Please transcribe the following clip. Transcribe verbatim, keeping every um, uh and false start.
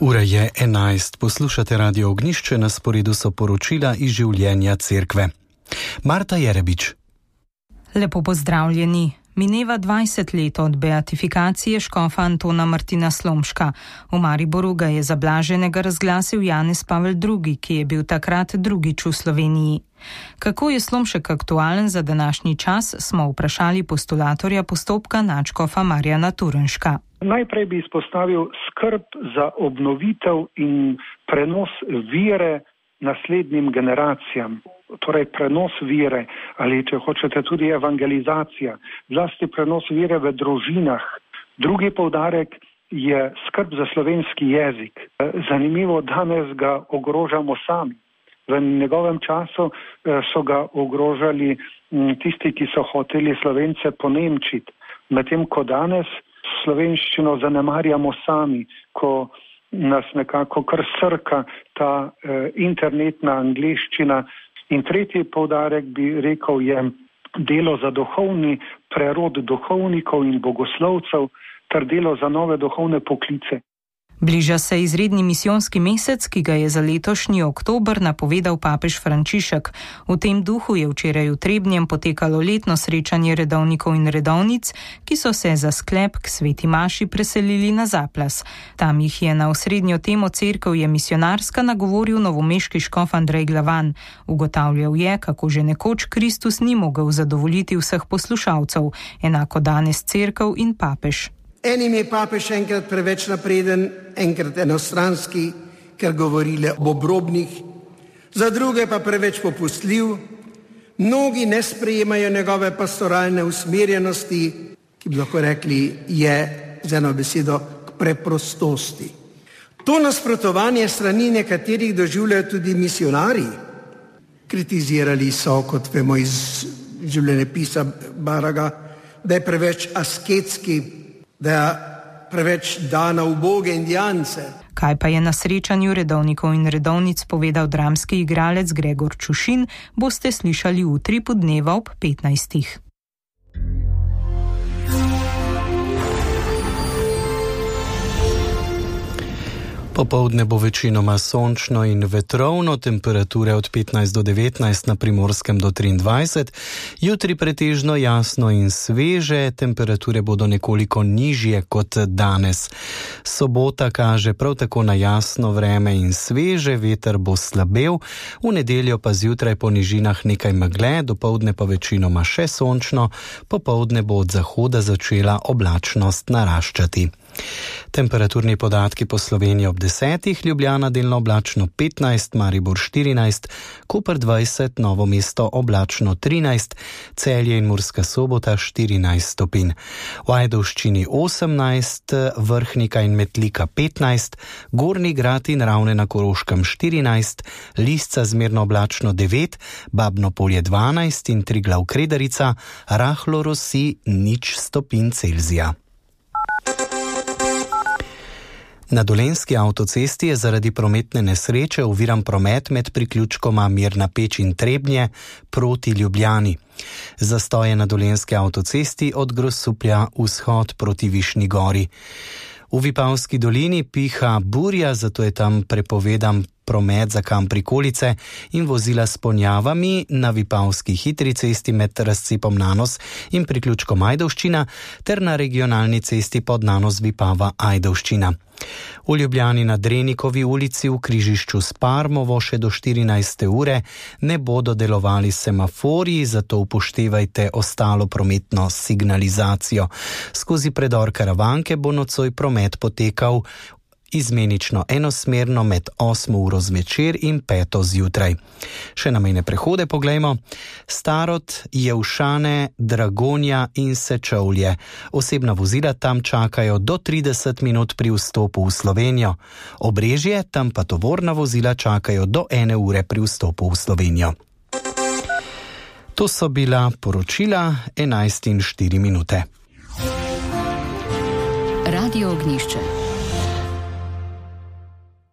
Ura je enajst, poslušate Radio Ognjišče, na sporedu so poročila iz življenja cerkve. Marta Jerebič. Lepo pozdravljeni. Mineva dvajset let od beatifikacije škofa Antona Martina Slomška. V Mariboru ga je za blaženega razglasil Janez Pavel drugi, ki je bil takrat drugič v Sloveniji. Kako je Slomšek aktualen za današnji čas, smo vprašali postulatorja postopka nadškofa Marjana Turnška. Najprej bi izpostavil skrb za obnovitev in prenos vere naslednjim generacijam. Torej prenos vere ali, če hočete, tudi evangelizacija, zlasti prenos vere v družinah. Drugi poudarek je skrb za slovenski jezik. Zanimivo, danes ga ogrožamo sami. V njegovem času so ga ogrožali tisti, ki so hoteli Slovence ponemčiti, medtem ko danes slovenščino zanemarjamo sami, ko nas nekako kar srka ta eh, internetna angleščina. In tretji poudarek bi rekel je delo za duhovni prerod duhovnikov in bogoslovcev ter delo za nove duhovne poklice. Bliža se izredni misijonski mesec, ki ga je za letošnji oktober napovedal papež Frančišek. V tem duhu je včeraj v Trebnjem potekalo letno srečanje redovnikov in redovnic, ki so se za sklep k sveti maši preselili na Zaplas. Tam jih je na osrednjo temo Cerkev je misionarska nagovoril novomeški škof Andrej Glavan. Ugotavljal je, kako že nekoč Kristus ni mogel zadovoljiti vseh poslušalcev, enako danes Cerkev in papež. Enim je papež enkrat preveč napreden, enkrat enostranski, ker govori le o obrobnih, za druge pa preveč popustljiv. Mnogi ne sprejemajo njegove pastoralne usmerjenosti, ki bi lahko rekli je z eno besedo k preprostosti. To nasprotovanje strani nekaterih doživljajo tudi misionarji. Kritizirali so, kot vemo iz življenjepisa Baraga, da je preveč asketski, da je preveč dana uboge indijance. Kaj pa je na srečanju redovnikov in redovnic povedal dramski igralec Gregor Čušin, boste slišali jutri po dneva ob petnajstih. Popoldne bo večinoma sončno in vetrovno, temperature od petnajst do devetnajst, na Primorskem do triindvajset, jutri pretežno jasno in sveže, temperature bodo nekoliko nižje kot danes. Sobota kaže prav tako na jasno vreme in sveže, veter bo slabel, v nedeljo pa zjutraj po nižinah nekaj megle, dopoldne pa večinoma še sončno, popoldne bo od zahoda začela oblačnost naraščati. Temperaturni podatki po Sloveniji ob desetih, Ljubljana delno oblačno petnajst, Maribor štirinajst, Koper dvajset, Novo mesto oblačno trinajst, Celje in Murska Sobota štirinajst stopinj. V Ajdovščini osemnajst, Vrhnika in Metlika petnajst, Gornji Grad in Ravne na Koroškem štirinajst, Lisca zmerno oblačno devet, Babno Polje dvanajst in Triglav Kredarica, rahlo rosi nič stopinj Celzija. Na Dolenjski avtocesti je zaradi prometne nesreče oviran promet med priključkoma Mirna Peč in Trebnje proti Ljubljani. Zastoje na Dolenjski avtocesti od Grosuplja vzhod proti Višnji Gori. V Vipavski dolini piha burja, zato je tam prepovedan promet za kam prikolice in vozila s ponjavami na Vipavski hitri cesti med razcepom Nanos in priključkom Ajdovščina ter na regionalni cesti pod Nanos Vipava Ajdovščina. V Ljubljani na Drenikovi ulici v križišču s Parmovo še do štirinajste ure ne bodo delovali semaforji, zato upoštevajte ostalo prometno signalizacijo. Skozi predor Karavanke bo nocoj promet potekal izmenično enosmerno med osmo uro zvečer in peto zjutraj. Še na mejne prehode poglejmo. Starod, Jevšane, Dragonja in Sečovlje. Osebna vozila tam čakajo do trideset minut pri vstopu v Slovenijo. Obrežje, tam pa tovorna vozila čakajo do ene ure pri vstopu v Slovenijo. To so bila poročila enajst in štiri minute. Radio Ognjišče.